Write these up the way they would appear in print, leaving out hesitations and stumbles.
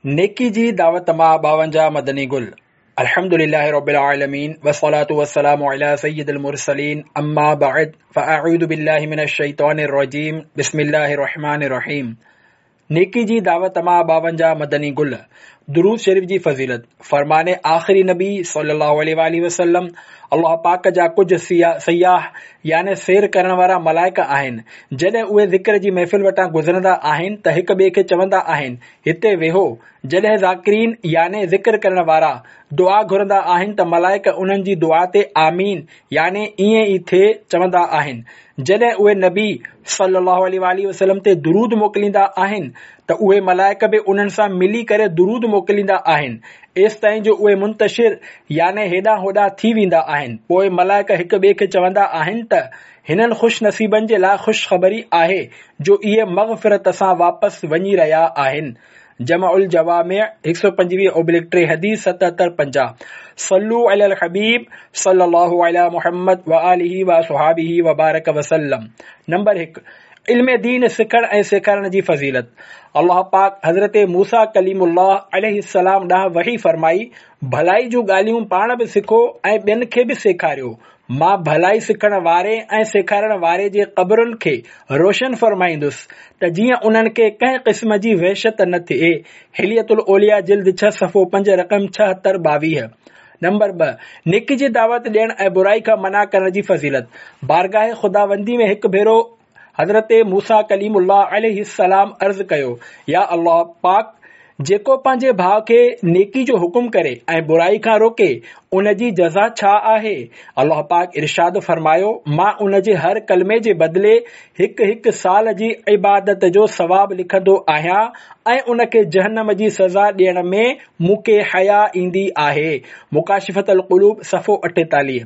نيڪي جي دعوت مان 52 مدني گل. الحمد لله رب العالمين والصلاة والسلام على سيد المرسلين اما بعد فاعوذ بالله من الشيطان الرجيم بسم الله الرحمن الرحيم. نيڪي جي دعوت مان 52 مدني گل. درود شريف جي فضيلت. فرمان آخري نبي صلي الله عليه واله وسلم، الله پاڪ جا ڪجهه سياح يعني سير ڪرڻ وارا ملائڪ آهن، جڏهن اهي ذڪر جي محفل وٽان گذرندا آهن ته هڪ ٻئي کي چوندا آهن، هتي ويهو. جڏهن ذاڪرين يعني ذڪر ڪرڻ وارا دعا گهرندا آهن ته ملائڪ انهن جي دعا تي آمين يعني ائين ئي ٿئي چوندا آهن. جڏهن اهي نبي صلي الله عليه واٰله وسلم تي درود موڪليندا آهن ته اهي ملائڪ به انهن سان ملي ڪري درود موڪليندا آهن ايستائين جو اهي منتشر يعني هيڏانهن هوڏانهن ٿي ويندا آهن. پوء ملائڪ هڪ ٻئي کي چوندا آهن ته هنن خوش نصيبن جي لاء خوشخبري آهي جو اهي مغفرت سان واپس وڃي رهيا آهن. جمع الجوامع 125/3 حديث 77 50. صلو علي الحبيب صلي الله علي محمد وآله واصحابه وبارڪ وسلم. نمبر 1، علم دين سکڻ ۽ سيکارڻ جي فضيلت. الله پاڪ حضرت موسيٰ ڪليم الله عليه السلام ڏانهن وحي فرمائي، ڀلائي جون ڳالهيون پاڻ به سکو ۽ ٻين کي به سيکاريو. مان ڀلائي سکڻ واري ۽ سيکارڻ واري جي قبرن کي روشن فرمائيندس ته جيئن انهن کي ڪنهن قسم جي وحشت نه ٿئي. حلية الاولياء جلد 6 صفحو 5 رقم 76 22. نمبر 2، نيڪي جي دعوت ڏيڻ ۽ برائي کان منع ڪرڻ جي فضيلت. بارگاهه خداوندي ۾ هڪ ڀيرو حضرت موسيٰ ڪليم الله عليه السلام عرض ڪيو، يا الله پاڪ! جيڪو پنهنجي ڀاء کي نيڪي جو حڪم ڪري ۽ برائي کان روڪي، ان جي جزا ڇا آهي؟ الله پاڪ ارشاد فرمايو، مان ان جي هر ڪلمي جي بدلي هڪ هڪ سال جي عبادت جو ثواب لکندو آهيان ۽ ان کي جهنم جي سزا ڏيڻ ۾ مون کي حيا ايندي آهي. مڪاشفة القلوب صفحو 48.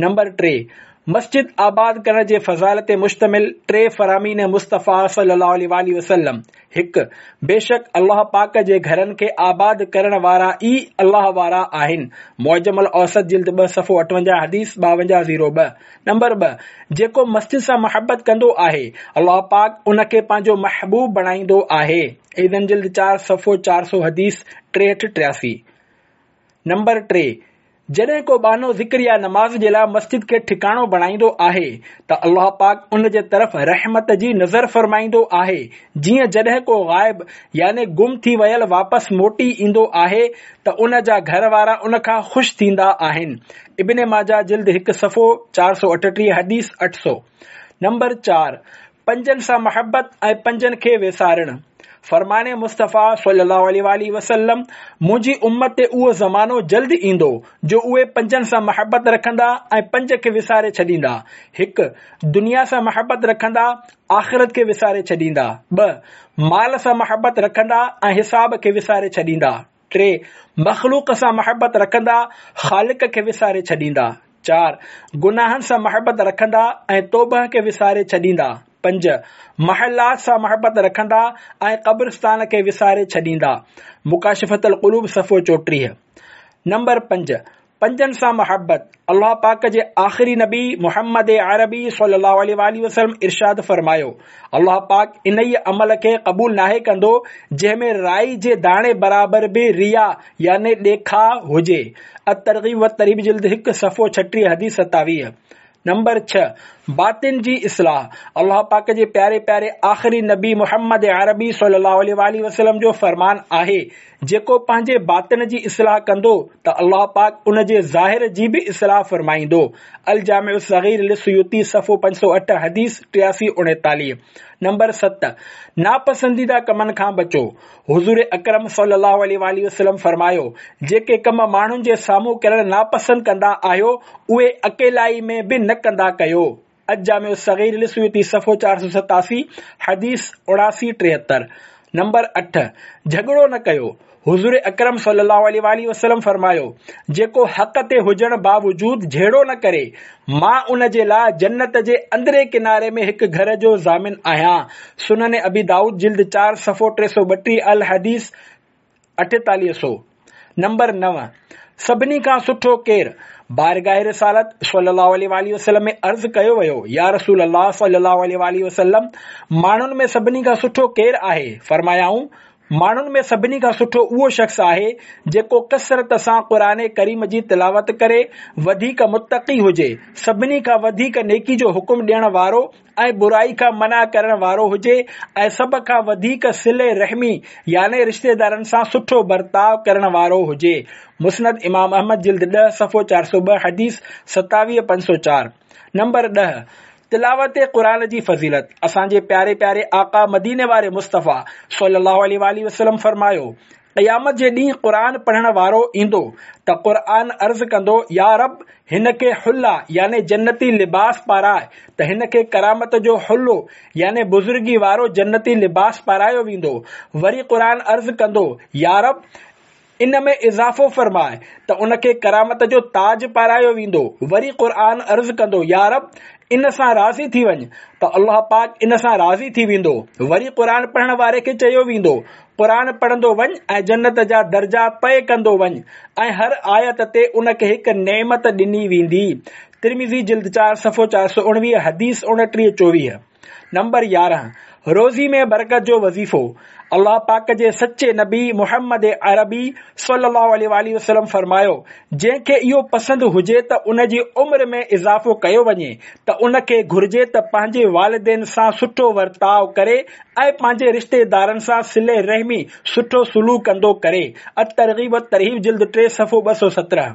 نمبر 3، مسجد آباد ڪرڻ جي فضائل تي مشتمل ٽي فرامين مصطفيٰ صلي الله عليه واٰله وسلم، 1، بيشڪ الله پاڪ جي گهرن کي آباد ڪرڻ وارا ئي الله وارا آهن، معجم الاوسط جلد 2 صفحو 58 حديث 52 02. نمبر 2، جيڪو مسجد سان محبت ڪندو آهي، الله پاڪ ان کي پنهنجو محبوب بڻائيندو آهي، اذن جلد 4 صفحو 400 حديث 63 83. نمبر 3، جڏهن ڪو ٻانهو ذڪر يا نماز جي لاء مسجد کي ٺڪاڻو بڻائيندو آهي ته الله پاڪ ان جي طرف رحمت جي نظر فرمائيندو آهي، جيئن جڏهن ڪو غائب يعني گم ٿي ويل واپس موٽي ايندو آهي ته ان جا گهر وارا ان کان خوش ٿيندا آهن. ابن ماجه جلد 1 صفحو 438 حديث 800. نمبر 4، پنجن سان محبت ۽ پنجن کي ويسارڻ. فرمان مصطفيٰ صلي الله عليه واٰله وسلم، منهنجي امت تي اهو زمانو جلد ايندو جو اهي پنجن سان محبت رکندا ۽ پنج کي وساري ڇڏيندا. هڪ. دنيا سان محبت رکندا، آخرت کي وساري ڇڏيندا. ٻه. مال سان محبت رکندا ۽ حساب کي وساري ڇڏيندا. ٽي. مخلوق سان محبت رکندا، خالق کي وساري ڇڏيندا. چار. گناهن سان محبت رکندا ۽ توبهه کي وساري ڇڏيندا. پنج. محلات سان محبت رکندا ۽ قبرستان کي وساري ڇڏيندا. مڪاشفة القلوب صفحو 34. نمبر 5. پنجن سان محبت، الله پاڪ جي آخري نبي محمد عربي صلي الله عليه واٰله وسلم ارشاد فرمايو، الله پاڪ انهيء عمل کي قبول ناهي ڪندو جنهن ۾ رائي جي داڻي برابر به رياء يعني ڏيکاء هجي. الترغيب والترهيب جلد 1 صفحو 36 حديث 27. نمبر 6، باطن جي اصلاح، الله پاڪ جي پياري پياري آخري نبي محمد عربي صلي الله عليه واٰله وسلم جو فرمان آهي، جيڪو پنهنجي باطن جي اصلاح ڪندو ته الله پاڪ ان جي ظاهر جي به اصلاح فرمائيندو. الجامع الصغير للسيوطي صفحو 508 حديث 83 39. نمبر 7، ناپسنديده ڪمن کان بچو، حضور اڪرم صلي الله عليه واٰله وسلم فرمايو، جيڪي ڪم ماڻهن جي سامهون ڪرڻ ناپسند ڪندا آهيو، اهي اڪيلائي ۾ به نه ڪندا ڪيو. الجامع الصغير للسيوطي صفحو 487 حديث 79 73. نمبر 8، جهڳڙو نه ڪيو. حضور اڪرم صلي الله عليه واٰله وسلم فرمايو، جيڪو حق تي هجڻ باوجود جهيڙو نه ڪري، مان ان جي لاء جنت جي اندرين ڪناري ۾ هڪ گهر جو ضامن آهيان. سنن ابي دائود جلد 4 صفحو 332 الحديث 4800. نمبر 9، سڀني کان سٺو ڪير؟ بارگاह رسالت صلي الله عليه واٰله وسلم ۾ عرض ڪيو ويو، يا رسول الله صلي الله عليه واٰله وسلم! ماڻهن ۾ سڀني کان سٺو ڪير آهي؟ فرمايائون، ماڻهن ۾ سڀني کان سٺو اهو شخص آهي جيڪو ڪثرت سان قرآن ڪريم جي تلاوت ڪري، وڌيڪ متقي هجي، سڀني کان وڌيڪ نيڪي جو حڪم ڏيڻ وارو ۽ برائي کان منع ڪرڻ وارو هجي ۽ سڀ کان وڌيڪ صله رحمي يعني رشتيدارن سان سٺو برتاء ڪرڻ وارو هجي. مسند امام احمد جلد 10 صفحو 402 حديث 27504 نمبر 10 تلاوت قرآن جي فضيلت اسان جي پياري پياري آقا مديني واري مصطفيٰ صلي الله عليه واٰله وسلم فرمايو، قيامت جي ڏينهن قرآن پڙهڻ وارو ايندو ته قرآن عرض ڪندو يا رب هن کي حله يعني جنتي لباس پاراء ته هن کي ڪرامت جو حلو يعني بزرگي وارو جنتي لباس پارايو ويندو وري قرآن عرض ڪندو يا رب ان ۾ اضافو فرماء ته ان کي ڪرامت جو تاج پارايو ويندو، وري قرآن عرض ڪندو يا رب! ان سان راضي ٿي وڃ ته الله پاڪ ان سان راضي ٿي ويندو، وري قرآن پڙهڻ واري کي چيو ويندو قرآن پڙهندو وڃ ۽ جنت جا درجا طئي ڪندو وڃ ۽ هر آيت تي ان کي هڪ نعمت ڏني ويندي. ترمذي جلد 4 صفحو 419 حديث 29 24. نمبر 11، روزي ۾ برڪت جو وظيفو، الله پاڪ جي سچي نبي محمد عربي صلي الله عليه واٰله وسلم فرمايو، جنهن کي اهو پسند هجي ته ان جي عمر ۾ اضافو ڪيو وڃي ته ان کي گهرجي ته پنهنجي والدين سان سٺو ورتاء ڪري ۽ پنهنجي رشتيدارن سان صله رحمي سٺو سلوڪ ڪندو ڪري. الترغيب والترهيب جلد 3 صفحو 217.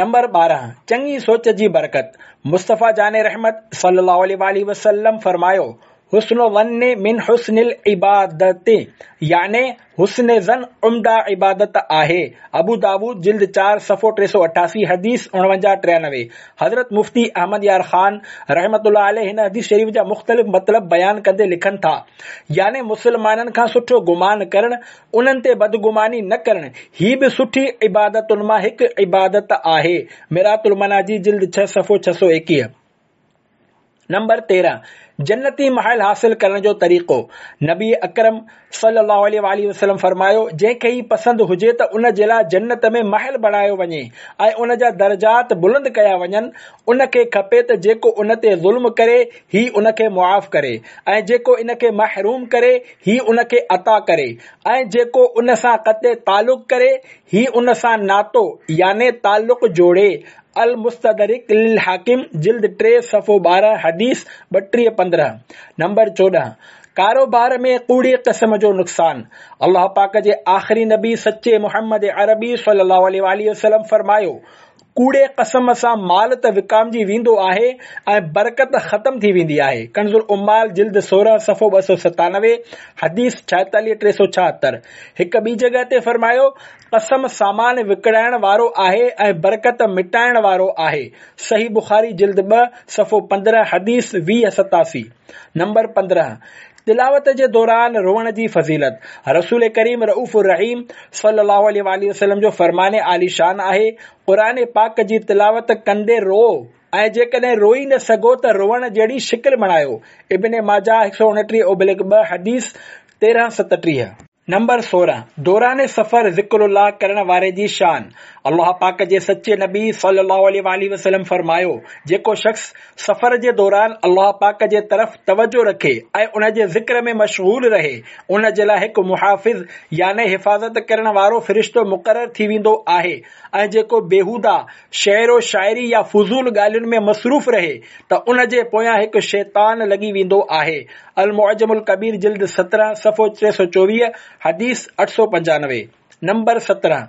نمبر 12، چڱي سوچ جي برڪت، مصطفيٰ جان رحمت صلّي اللّٰه عليه واٰله وسلّم فرمايو، حسن الظن من حسن العبادة يعني حسن ظن عمده عبادت آهي، ابو داود جلد 4 صفحو 388 حديث 49 93 حضرت مفتي احمد يار خان رحمة الله عليه هن حديث شريف جا مختلف مطلب بيان ڪندي لکن ٿا، يعني مسلمانن کان سٺو گمان ڪرڻ انهن تي بدگماني نه ڪرڻ، هي به سٺي عبادتن مان هڪ عبادت آهي. مرآة المناجي جلد 6 صفحو 621. نمبر 13، جنتي محل حاصل ڪرڻ جو طريقو، نبي اڪرم صلي الله عليه واٰله وسلم فرمايو، جنهن کي هي پسند هجي ته ان جي لاء جنت ۾ محل بڻايو وڃي ۽ ان جا درجات بلند ڪيا وڃن، ان کي کپي ته جيڪو ان تي ظلم ڪري هي ان کي معاف ڪري ۽ جيڪو ان کي محروم ڪري هي ان کي عطا ڪري ۽ جيڪو ان سان قطع تعلق ڪري هي ان سان ناتو يعني تعلق جوڙي. المستدرڪ للحاڪم جلد 3 صفحو 12 حديث 32 15 نمبر 14 ڪاروبار ۾ ڪوڙي قسم جو نقصان الله پاڪ جي آخري نبي سچي محمد عربي صلي الله عليه واٰله وسلم فرمايو ڪوڙي قسم سان مال ته وڪامجي ويندو آهي ۽ برڪت ختم ٿي ويندي آهي. ڪنز العمال جلد 16 صفحو 297 حديث 46 376 هڪ ٻي جڳهه تي فرمايو، قسم سامان وڪڻائڻ وارو آهي ۽ برڪت مٽائڻ وارو آهي. صحيح بخاري جلد 2 صفحو 15 حديث 20 87 نمبر 15 تلاوت جي دوران روئڻ جي فضيلت، رسول ڪريم رئوف الرحيم صلي الله عليه واٰله وسلم جو فرمان عالي شان آهي، قرآن پاڪ جي تلاوت ڪندي روئو ۽ جيڪڏهن روئي نه سگهو ته روئڻ جهڙي شڪل بڻايو، ابن ماجه 129 اوبليڪ 2 حديث 13 37. نمبر 16، دوران سفر ذڪر الله ڪرڻ واري جي شان، الله پاڪ جي سچي نبي صلي الله عليه واٰله وسلم فرمايو، جيڪو شخص سفر جي دوران الله پاڪ جي طرف توجه رکي ۽ ان جي ذڪر ۾ مشغول رهي، ان جي لاء هڪ محافظ يعني حفاظت ڪرڻ وارو فرشتو مقرر ٿي ويندو آهي ۽ جيڪو بيهوده شعر و شاعري يا فضول ڳالهين ۾ مصروف رهي ته ان جي پويان هڪ شيطان لڳي ويندو آهي. المعجم الڪبير جلد 17 صفحو 324 حديث 895 نمبر 17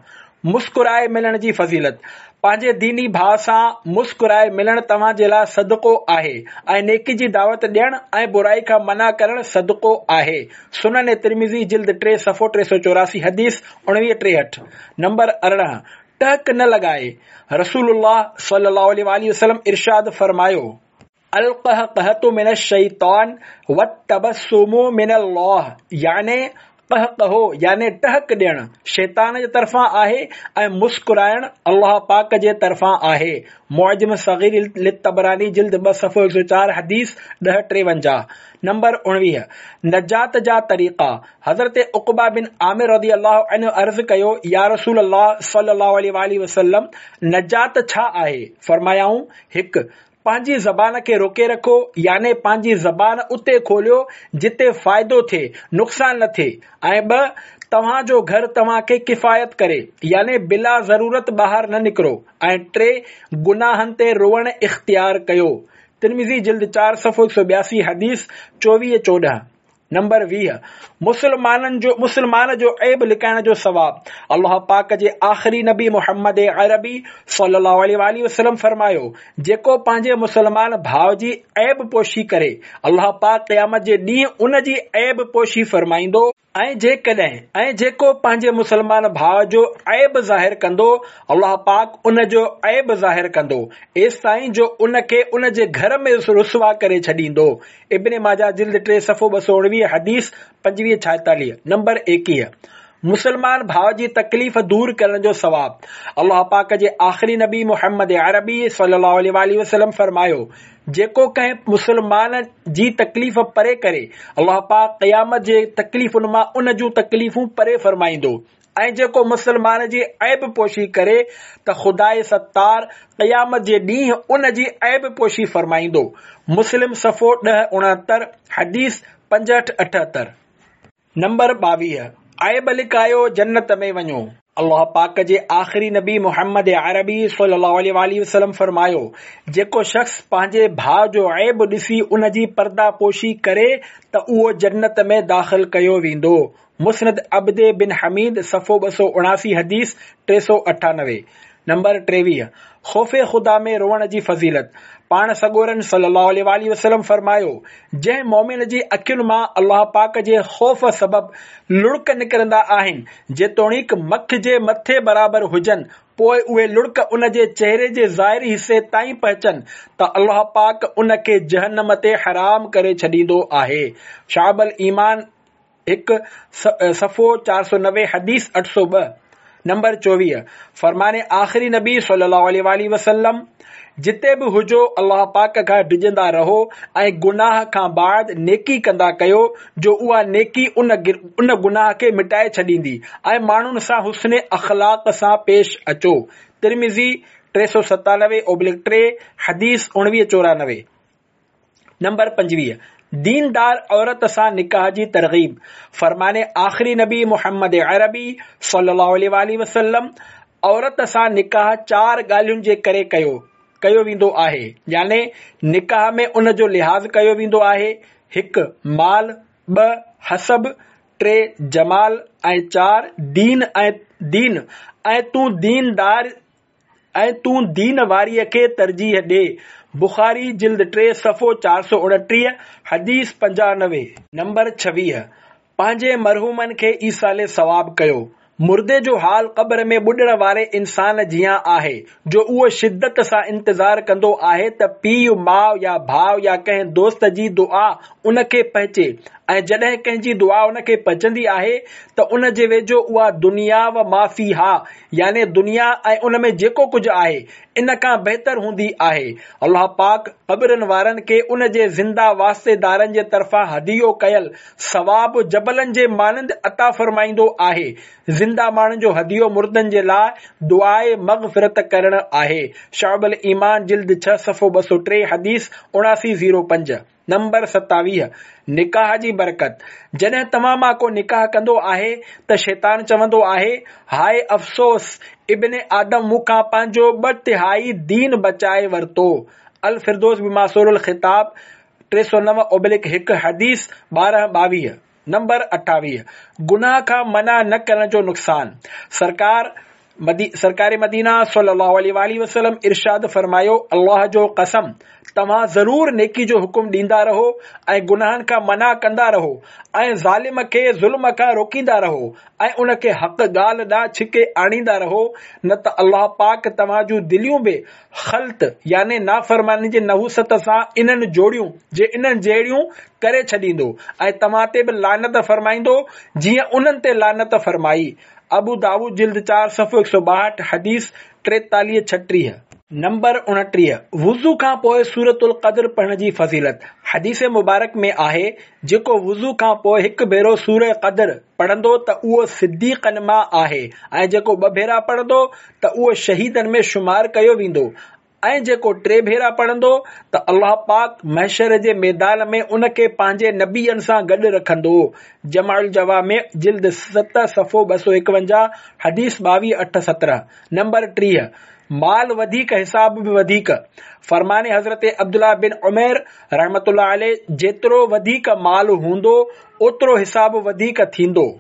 مسڪرائي ملڻ جي فضيلت پنهنجي ديني ڀاء سان مسڪرائي ملڻ توهان جي لاء صدقو آهي ۽ نيڪي جي دعوت ڏيڻ ۽ برائي کان منع ڪرڻ صدقو آهي. سنن ترمذي جلد 3 صفحو 384 حديث 19 63 نمبر 18 ٽهڪ نه لڳائي رسول الله صلي الله عليه واٰله وسلم ارشاد فرمايو، القهقهة من الشيطان والتبسم من الله يعني قهقهو يعني ٽهڪ ڏيڻ شيطان جي طرفان آهي ۽ مسڪرائڻ الله پاڪ جي طرفان آهي. معجم صغير للطبراني جلد 2 صفحو 104 حديث 10 53 نمبر 19 نجات جا طريقا حضرت عقبه بن عامر رضي الله عنه عرض ڪيو، يا رسول الله صلي الله عليه واٰله وسلم نجات ڇا آهي؟ فرمايائون، هڪ. پنهنجي زبان کي روڪي رکو، يعني پنهنجي زبان اتي کوليو جتي فائدو ٿئي، نقصان نه ٿئي. ۽ ٻه، توهان جو گهر توهان کي ڪفايت ڪري، يعني بلا ضرورت ٻاهر نه نڪرو. ۽ ٽي، گناهن تي روئڻ اختيار ڪيو. ترمذي جلد چار صفحو 182 حديث 24 14. نمبر 20، مسلمانن جو مسلمان جو عيب لڪائڻ جو ثواب. الله پاڪ جي آخري نبي محمد عربي صلي الله عليه واٰله وسلم فرمايو، جيڪو پنهنجي مسلمان ڀاء جي عيب پوشي ڪري، الله پاڪ قيامت جي ڏينهن ان جي عيب پوشي فرمائيندو، ۽ جيڪڏهن ۽ جيڪو پنهنجي مسلمان ڀاء جو عيب ظاهر ڪندو، الله پاڪ ان جو عيب ظاهر ڪندو، ايستائين جو ان کي ان جي گهر ۾ رسوا ڪري ڇڏيندو. ابن ماجه جلد 3 صفحو 219 حديث 25 46. نمبر 21. مسلمان ڀاء جي تڪليف دور ڪرڻ جو ثواب. الله پاڪ جي آخري نبي محمد عربي صلي الله عليه واٰله وسلم فرمايو، جيڪو ڪنهن مسلمان جي تڪليف پري ڪري، الله پاڪ قيامت جي تڪليفن مان ان جون تڪليفون پري فرمائيندو ۽ جيڪو مسلمان جي عيب پوشي ڪري ته خداء ستار قيامت جي ڏينهن ان جي عيب پوشي فرمائيندو. مسلم صفحو 10 69 حديث 65 78. نمبر 22، عيب لڪايو جنت ۾ وڃو. الله پاڪ جي آخري نبي محمد عربي صلي الله عليه واٰله وسلم فرمايو، جيڪو شخص پنهنجي ڀاء جو عيب ڏسي ان جي پرده پوشي ڪري ته اهو جنت ۾ داخل ڪيو ويندو. مسند عبد بن حميد صفحو 279 حديث 398. نمبر 23، خوف خدا ۾ روئڻ جي فضيلت. پاڻ سڳورن صلي الله عليه واٰله وسلم فرمايو، جنهن مؤمن جي اکين مان الله پاڪ جي خوف سبب لڙڪ نڪرندا آهن، جيتوڻيڪ مک جي مٿي برابر هجن، پوء اهي لڙڪ ان جي چهري جي ظاهري حصي تائين پهچن ته الله پاڪ ان کي جهنم تي حرام ڪري ڇڏيندو آهي. شعب الايمان. 1، صفحو 490 حديث 802، نمبر 24، فرمان آخري نبي صلي الله عليه واٰله وسلم، جتي به هجو الله پاڪ کان ڊڄندا رهو ۽ گناهه کان بعد نيڪي ڪندا ڪيو جو اها نيڪي ان ان گناهه کي مٽائي ڇڏيندي ۽ ماڻهن سان حسن اخلاق سان پيش اچو. ترمذي 397/3 حديث 19 94. نمبر 25، ديندار عورت سان نڪاح جي ترغيب. فرمان آخري نبي محمد عربي صلي الله عليه واٰله وسلم، عورت سان نڪاح چار ڳالهين جي ڪري ڪيو ڪيو ويندو آهي، يعني نڪاح ۾ ان جو لحاظ ڪيو ويندو آهي، هڪ مال، ٻه حسب، ٽي جمال ۽ چار دين ۽ دين ۽ تون ديندار ۽ تون دين واريء کي ترجيح ڏي. بخاري جلد 3 صفحو 429 حديث 95. نمبر 26، پنهنجي مرحومن کي ايصال ثواب ڪيو. مردي جو حال قبر ۾ ٻڏڻ واري انسان جيان آهي، جو اهو شدت سان انتظار ڪندو آهي ته پيء، ماء يا ڀاء يا ڪنهن دوست جي دعا ان کي پهچي ۽ جڏهن ڪنهن جي دعا ان کي پهچندي آهي ته ان جي ويجهو اها دنيا و ما فيها يعني دنيا ۽ ان ۾ جيڪو ڪجهه آهي، ان کان بهتر هوندي آهي. الله پاڪ قبرن وارن کي ان جي زنده واسطيدارن جي طرفان هديو ڪيل ثواب جبلن جي مانند عطا فرمائيندو آهي. زنده ماڻهن جو هديو مردن جي لاء دعاء مغفرت ڪرڻ آهي. شعب الايمان جلد 6 صفحو 203 حديث 79 05. نمبر 27، نڪاح جي برڪت، جڏهن توهان مان ڪو نڪاح ڪندو آهي ته شيطان چوندو آهي، هاء افسوس! ابن آدم مون کان پنهنجو ٻه تهائي دين بچائي ورتو. الفردوس بماثور الخطاب 309/1 حديث 12 22. نمبر 28، گناهه کان منع نه ڪرڻ جو نقصان، سرڪار سرڪار مدينه صلي الله عليه واٰله وسلم ارشاد فرمايو، الله جو قسم! توهان ضرور نيڪي جو حڪم ڏيندا رهو ۽ گناهن کان منع ڪندا رهو ۽ ظالم کي ظلم کان روڪيندا رهو ۽ ان کي حق ڳالهه ڏانهن ڇڪي آڻيندا رهو نه ته الله پاڪ توهان جون دليون به خلط يعني نافرماني جي نحوست سان انهن جوڙيون جي انهن جهڙيون ڪري ڇڏيندو ۽ توهان تي به لعنت فرمائيندو جيئن انهن تي لعنت فرمائي. ابو داؤد جلد 4 صفحو 162 حديث 43 36. نمبر 29، وضو کان پوء سورة القدر پڙهڻ جي فضيلت، حديث مبارڪ ۾ آهي، جيڪو وضو کان پوء هڪ ڀيرو سورة قدر پڙهندو ته اهو صديقن مان آهي ۽ جيڪو ٻه ڀيرا پڙهندو ته اهو شهيدن ۾ شمار ڪيو ويندو. ۽ جيڪو ٽي ڀيرا پڙهندو ته الله پاڪ محشر جي ميدان ۾ ان کي پنهنجي نبين سان گڏ رکندو. جمع الجوامع جلد 7 صفحو 251 حديث 22 8 17 نمبر 30 مال وڌيڪ حساب به وڌيڪ. فرمان حضرت عبدالله بن عمير رحمة الله عليه جيترو وڌيڪ مال هوندو اوترو حساب وڌيڪ ٿيندو.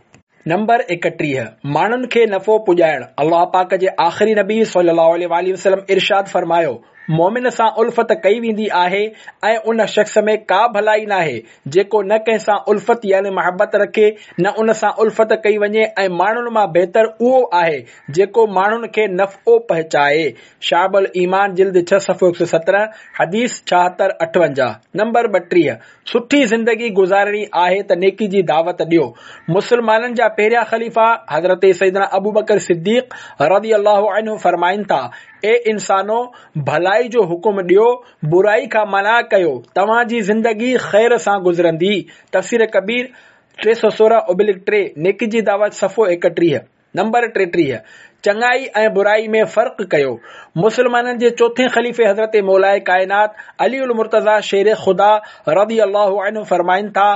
نمبر 31، ماڻهن کي نفعو پڄائڻ، الله پاڪ جي آخري نبي صلي الله عليه واٰله وسلم ارشاد فرمايو، مؤمن سان الفت ڪئي ويندي آهي ۽ ان شخص ۾ ڪا ڀلائي ناهي جيڪو نه ڪنهن سان الفت يعني محبت رکي نه ان سان الفت ڪئي وڃي ۽ ماڻهن مان بهتر اهو آهي جيڪو ماڻهن کي نفعو پهچائي. شعب الايمان جلد 6 صفحو 117 حديث 76 58 نمبر 32، سٺي زندگي گذارڻي آهي ته نيڪي جي دعوت ڏيو. مسلمانن جا پهريان خليفا حضرت سيدنا ابوبڪر صديق رضي الله عنه فرمائن ٿا، اي انسانو! ڀلائي جو حڪم ڏيو، برائي کان منع ڪيو، توهان جي زندگي خير سان گذرندي. تفسير ڪبير، 316/3، نيڪي جي دعوت صفحو 31. نمبر 33، چڱائي ۽ برائي ۾ فرق ڪيو. مسلمانن جي چوٿين خليفي حضرت مولائي ڪائنات علي المرتضيٰ شير خدا رضي الله عنه فرمائن ٿا،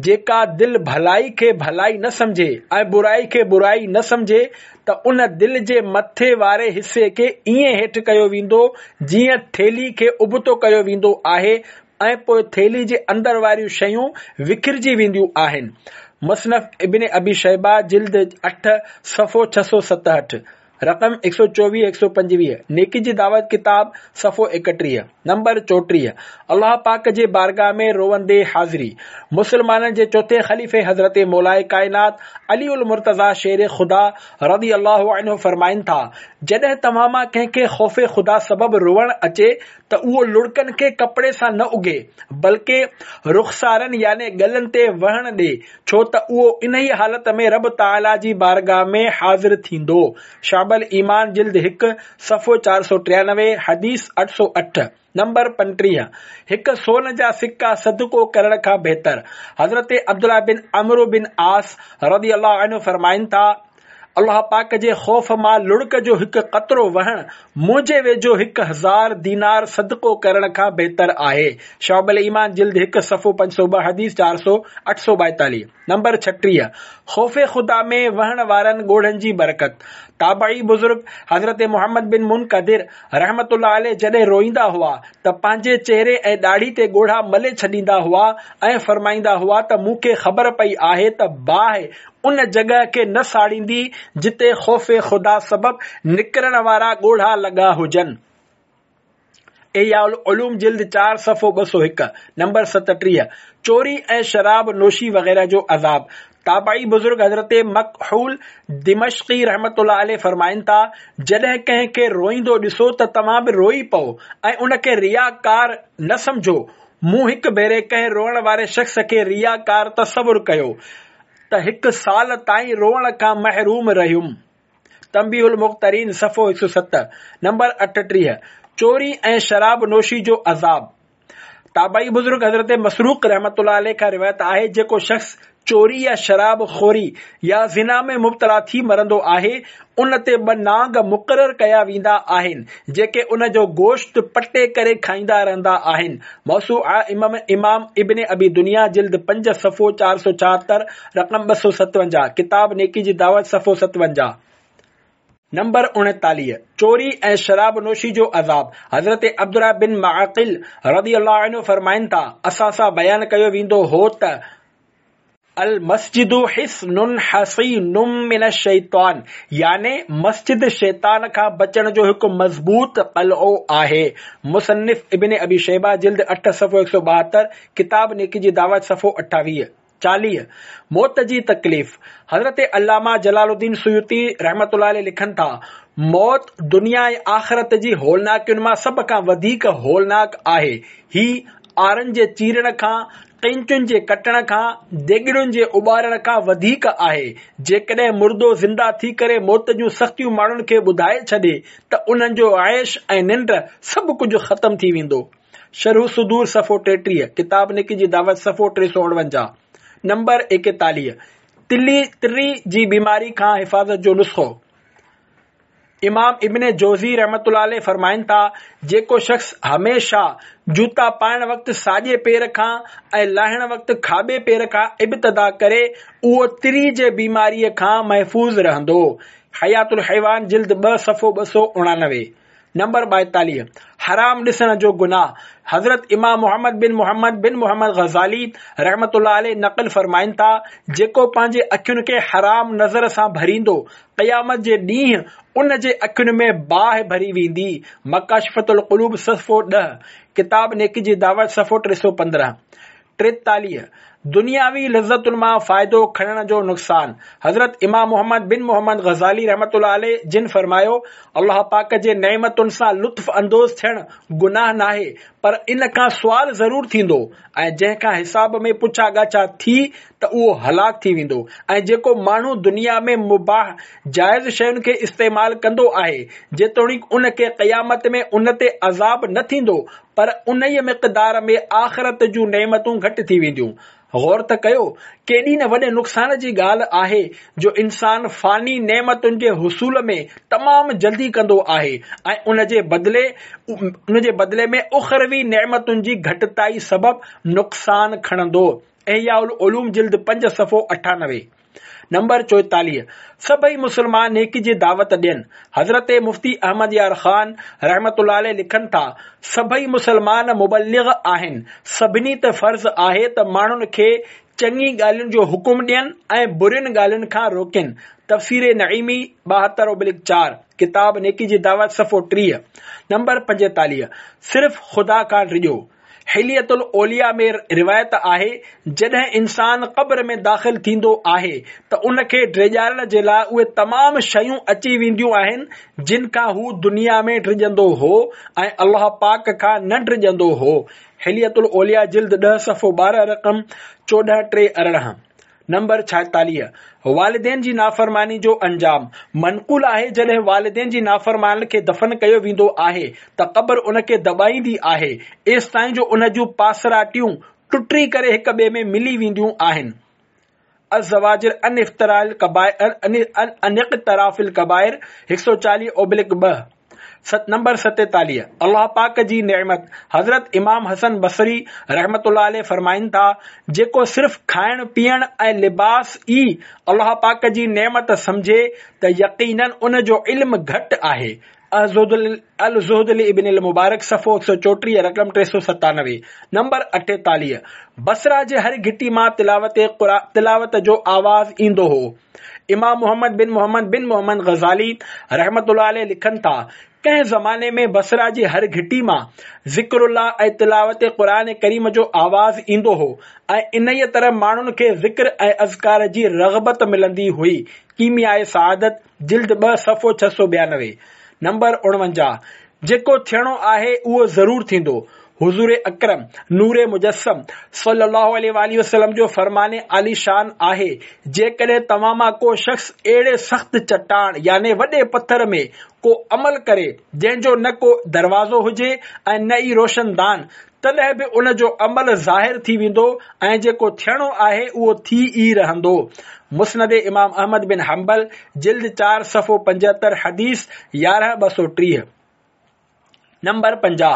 جيڪا دل ڀلائي کي ڀلائي نه سمجهي ۽ برائي کي برائي نه سمجهي ته ان دل جي مٿي واري حصي کي ائين هيٺ ڪيو ويندو جيئن ٿيلهي کي ابتو ڪيو ويندو آهي ۽ پوء ٿيلهي جي اندر واريون شيون وکرجي وينديون آهن. مصنف ابن ابي شيبه جلد 8 صفحو 667 رقم 124 125 نيڪي جي دعوت ڪتاب صفحو 31 نمبر 34 الله پاڪ جي بارگاهه ۾ روئندي حاضري مسلمانن جي چوٿين خليفي حضرت مولائي ڪائنات علي المرتضيٰ شير خدا رضي الله عنه فرمائن ٿا جڏهن توهان مان ڪنهن کي خوف خدا سبب روئڻ اچي ته اهو لڙڪن کي ڪپڙي سان نه اگهي، بلڪه رخسارن يعني ڳلن تي وهڻ ڏي، ڇو ته اهو انهيء حالت ۾ رب تعاليٰ جي بارگاهه ۾ حاضر ٿيندو. شعب الايمان جلد 1، صفحو 493، حديث 808، نمبر 35، هڪ سون جا سڪا صدقو ڪرڻ کان بهتر. حضرت عبدالله بن عمرو بن عاص رضي الله عنه فرمائن ٿا، الله پاڪ جي خوف مان لڙڪ جو هڪ قطرو وهڻ منهنجي ويجهو 1000 دينار صدقو ڪرڻ کان بهتر آهي. شعب الايمان جلد 1 صفحو 502 حديث 400 842 نمبر 36 خوف خدا ۾ وهڻ وارن ڳوڙهن جي برڪت تابعي بزرگ حضرت محمد بن منڪدر رحمة الله عليه جڏهن روئيندا هئا ته پنهنجي چهري ۽ ڏاڙهي تي ڳوڙها ملي ڇڏيندا هئا ۽ فرمائيندا هئا ته مون کي خبر پئي آهي ته باهه ان جڳهه کي نه ساڙيندي جتي خوف خدا سبب نڪرڻ وارا ڳوڙها لڳا هجن. احياء العلوم جلد 4 صفحو 201 نمبر 37 چوري ۽ شراب نوشي وغيره جو عذاب تابعي بزرگ حضرت مڪحول دمشقي رحمة الله عليه فرمائن ٿا، جڏهن ڪنهن کي روئيندو ڏسو ته توهان به روئي پئو ۽ ان کي ريا ڪار نه سمجهو. مون هڪ ڀيري ڪنهن روئڻ واري شخص کي ريا ڪار تصور ڪيو ته هڪ سال تائين روئڻ کان محروم رهيم. تنبيه المغترين صفحو 107 نمبر 38 چوري ۽ شراب نوشي جو عذاب تابعي بزرگ حضرت مسروق رحمة الله عليه کان روايت آهي جيڪو شخص چوري يا شراب خوري يا زنا ۾ مبتلا ٿي مرندو آهي ان تي ٻه نانگ مقرر ڪيا ويندا آهن جيڪي ان جو گوشت پٽي ڪري کائيندا رهندا آهن موسوعه امام ابن ابي دنيا جلد 5 صفحو 476 رقم 257 ڪتاب نيڪي جي دعوت صفحو 57. نمبر 39، چوري ۽ شراب نوشي جو عذاب، حضرت عبدالله بن معقل رضي الله عنه فرمائن ٿا، اسان سان بيان ڪيو ويندو هو ته، المسجد حصن حصين من الشيطان يعني مسجد شيطان کان بچڻ جو هڪ مضبوط قلعو آهي. مصنف ابن ابي شيبه جلد 8 صفحو 172، ڪتاب نيڪي جي دعوت صفحو 28. 40، موت جي تڪليف، حضرت علامه جلال الدين سيوطي رحمة الله عليه لکن ٿا، موت دنيا ۽ آخرت جي هولناڪين مان سڀ کان وڌيڪ هولناڪ آهي. هي آرن جي چيرڻ کان، قينچن جي ڪٽڻ کان، ديڳڙين جي اٻارڻ کان وڌيڪ آهي. جيڪڏهن مردو زنده ٿي ڪري موت جون سختيون ماڻهن کي ٻڌائي ڇڏي ته انهن جو عيش ۽ ننڊ سڀ ڪجهه ختم ٿي ويندو. شرح الصدور صفحو 33، ڪتاب نيڪي جي دعوت صفحو 349، نمبر 41، تلي، تري، جي بيماري کان حفاظت جو نسخو. امام ابن جوزي رحمة الله عليه فرمائن ٿا، جيڪو شخص هميشه جوتا پائڻ وقت ساڄي پير کان ۽ لاهڻ وقت کاٻي پير کان ابتدا ڪري، اهو تري جي بيماريء کان محفوظ رهندو. حيات الحيوان جلد ٻه صفحو 289. نمبر 42. حرام ڏسڻ جو گناهه، حضرت امام محمد بن محمد بن محمد غزالي رحمة الله عليه نقل فرمائن ٿا، جيڪو پنهنجي اکين کي حرام نظر سان ڀريندو، قيامت جي ڏينهن ان جي اکين ۾ باهه ڀري ويندي، مڪاشفة القلوب صفحو ڏهه، ڪتاب نيڪي جي دعوت صفحو 315. 43، دنياوي لذتن مان فائدو کڻڻ جو نقصان، حضرت امام محمد بن محمد غزالي رحمة الله عليه جن فرمايو، الله پاڪ جي نعمتن سان لطف اندوز ٿيڻ گناهه ناهي پر ان کان سوال ضرور ٿيندو ۽ جنهن کان حساب ۾ پڇا ڳاڇا ٿي ته اهو هلاڪ ٿي ويندو ۽ جيڪو ماڻهو دنيا ۾ مباح جائز شين کي استعمال ڪندو آهي جيتوڻيڪ ان کي قيامت ۾ ان تي عذاب نه ٿيندو پر انهيء مقدار ۾ آخرت جون نعمتون گهٽ ٿي وينديون. غور ته ڪيو، ڪيڏي نه وڏي نقصان جي ڳالهه آهي جو انسان فاني نعمتن جي حصول ۾ تمام جلدي ڪندو آهي ۽ ان جي بدلي ان جي بدلي ۾ اخروي نعمتن جي گهٽتائي سبب نقصان کڻندو. احياء العلوم جلد پنج صفحو 98. نمبر 44، سڀئي مسلمان نيڪي جي دعوت ڏين. حضرت مفتي احمد يار خان رحمة الله عليه لکن ٿا، سڀئي مسلمان مبلغ آهن، سڀني تي فرض آهي ته ماڻهن کي چڱي ڳالهين جو حڪم ڏين ۽ برين ڳالهين کان روڪين. تفسير نعيمي 72/4، ڪتاب نيڪي جي دعوت صفحو 30. نمبر 45، صرف خدا کان ڊڄو. حلية الاولياء ۾ روايت آهي، جڏهن انسان قبر ۾ داخل ٿيندو آهي ته ان کي ڊيڄارڻ جي لاء اهي تمام شيون اچي وينديون آهن جن کان هو دنيا ۾ ڊڄندو هو ۽ الله پاڪ کان نه ڊڄندو هو. حلية الاولياء جلد ڏهه صفحو 12 رقم 14 3 18. نمبر 46، والدين جي نافرماني جو انجام، منقول آهي جڏهن والدين جي نافرمانن کي دفن ڪيو ويندو آهي ته قبر ان کي دٻائيندي آهي ايستائين جو ان جون پاسراٽيون ٽٽي ڪري هڪ ٻئي ۾ ملي وينديون آهن. الزواجر عن افتراء الڪبائر عن اقتراف الڪبائر 140/2. نمبر 47، الله پاڪ جي نعمت، حضرت امام حسن بصري رحمة الله عليه فرمائن ٿا، جيڪو صرف کائڻ پيئڻ ۽ لباس ئي الله پاڪ جي نعمت سمجهي ته يقيناً ان جو علم گهٽ آهي. الزهد لابن المبارڪ صفحو 134 رقم 397. نمبر 48، بصره جي هر گهٽي مان تلاوت تلاوت جو آواز ايندو هو. امام محمد بن محمد بن محمد غزالي رحمة الله عليه لکن ٿا، ڪنهن زماني ۾ بصره جي هر گهٽي مان ذڪر الله ۽ تلاوت قرآن ڪريم جو آواز ايندو هو ۽ انهيء طرح ماڻهن کي ذڪر ۽ اذڪار جي رغبت ملندي هئي. ڪيمياء سعادت، جلد ٻه، صفحو 692. نمبر 49، جيڪو ٿيڻو آهي اهو ضرور ٿيندو. حضور اڪرم، نور مجسم، صلّي اللّٰه عليه واٰله وسلّم جو فرمان عاليشان آهي، جيڪڏهن توهان مان ڪو شخص اهڙي سخت چٽاڻ يعني وڏي پٿر ۾ ڪو عمل ڪري جنهن جو نه ڪو دروازو هجي ۽ نه ئي روشن دان، تڏهن به ان جو عمل ظاهر ٿي ويندو ۽ جيڪو ٿيڻو آهي اهو ٿي ئي رهندو. مسند امام احمد بن حنبل، جلد چار صفحو 75 حديث 11 230. نمبر 50،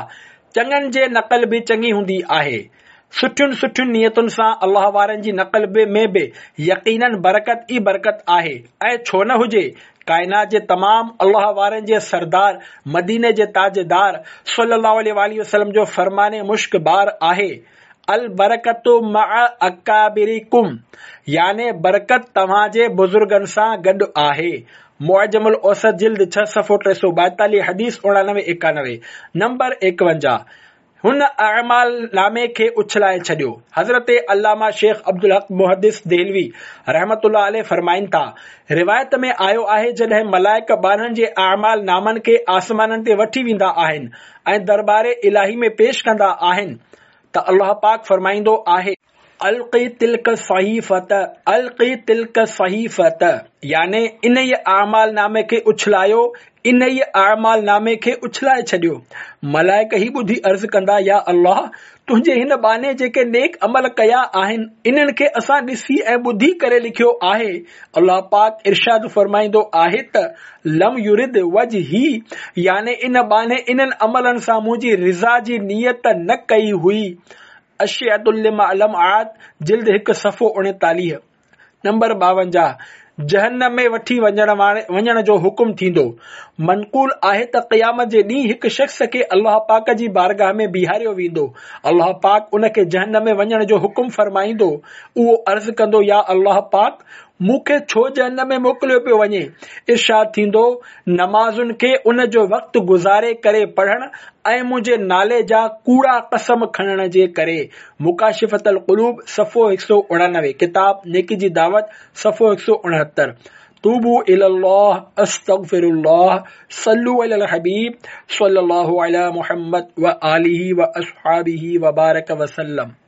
چڱن جي نقل به چڱي هوندي آهي. سٺين سٺين نيتن سان الله وارن جي نقل به ۾ به يقيناً برڪت ئي برڪت آهي ۽ ڇو نه هجي، ڪائنات جي تمام الله وارن جي سردار مديني جي تاجدار صلي الله عليه واٰله وسلم جو فرمان مشڪبار آهي، البرڪة مع اڪابرڪم يعني برڪت توهان جي بزرگن سان گڏ آهي. معجم الاوسط جلد ڇهه صفحو 342 حديث 89 91 نمبر 51 هن اعمال نامي کي اڇلائي ڇڏيو. حضرت علامه شيخ عبدالحق محدث دهلوي رحمة الله عليه فرمائن ٿا، روايت ۾ آيو آهي جڏهن ملائڪ ٻانهن جي اعمال نامن کي آسمانن تي وٺي ويندا آهن ۽ درٻار الاهي ۾ پيش ڪندا آهن ته الله پاڪ فرمائيندو آهي. القي تلک الصحيفة القي تلک الصحيفة يعني انهيء اعمال نامي کي اڇلايو، انهيء اعمال نامي کي اڇلائي ڇڏيو. ملائڪ هي ٻڌي عرض ڪندا، يا الله! تنهنجي هن ٻانهي جيڪي نيڪ عمل ڪيا آهن، انهن کي اسان ڏسي ۽ ٻڌي ڪري لکيو آهي. الله پاڪ ارشاد فرمائيندو آهي ته، لم يرد وجهي يعني ان ٻانهي انهن عملن سان منهنجي رضا جي نيت نه ڪئي هئي. اشعة اللمعات جلد هڪ صفحو 39 نمبر 52 جهنم ۾ وٺي وڃڻ جو حڪم ٿيندو. منقول آهي ته قيامت جي ڏينهن هڪ شخص کي الله پاڪ جي بارگاهه ۾ بيهاريو ويندو. الله پاڪ ان کي جهنم ۾ وڃڻ جو حڪم فرمائيندو. اهو عرض ڪندو يا الله پاڪ! مون کي ڇو جهنم ۾ موڪليو پيو وڃي؟ ارشاد ٿيندو، نمازن کي ان جو وقت گذاري ڪري پڙهڻ ۽ منهنجي نالي جا ڪوڙا قسم کڻڻ جي ڪري. مڪاشفة القلوب صفحو 189، ڪتاب نيڪي جي دعوت صفحو 169. توبوا الي الله استغفر الله صلو علي الحبيب صلي الله علي محمد وآله واصحابه وبارڪ وسلم.